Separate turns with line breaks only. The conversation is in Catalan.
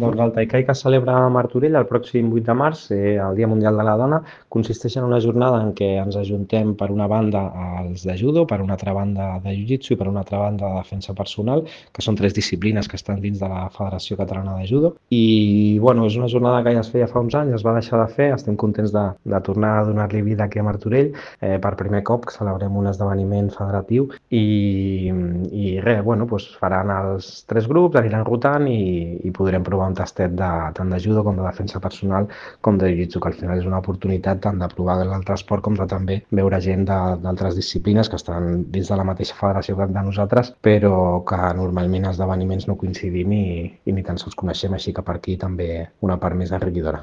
Doncs el Taikai que es celebra a Martorell el pròxim 8 de març, el Dia Mundial de la Dona, consisteix en una jornada en què ens ajuntem per una banda els de judo, per una altra banda de jiu-jitsu i per una altra banda de defensa personal, que són tres disciplines que estan dins de la Federació Catalana de Judo. I bueno, és una jornada que ja es feia fa uns anys, es va deixar de fer, estem contents de tornar a donar-li vida aquí a Martorell. Per primer cop que celebrem un esdeveniment federatiu i res, bueno, doncs faran els tres grups, aniran rotant i podrem provar un tastet tant de judo com de defensa personal com de jiu-jitsu, que al final és una oportunitat tant de provar l'altre esport com de també veure gent d'altres disciplines que estan dins de la mateixa federació que de nosaltres, però que normalment a esdeveniments no coincidim i ni tan sols coneixem, així que per aquí també una part més enriquidora.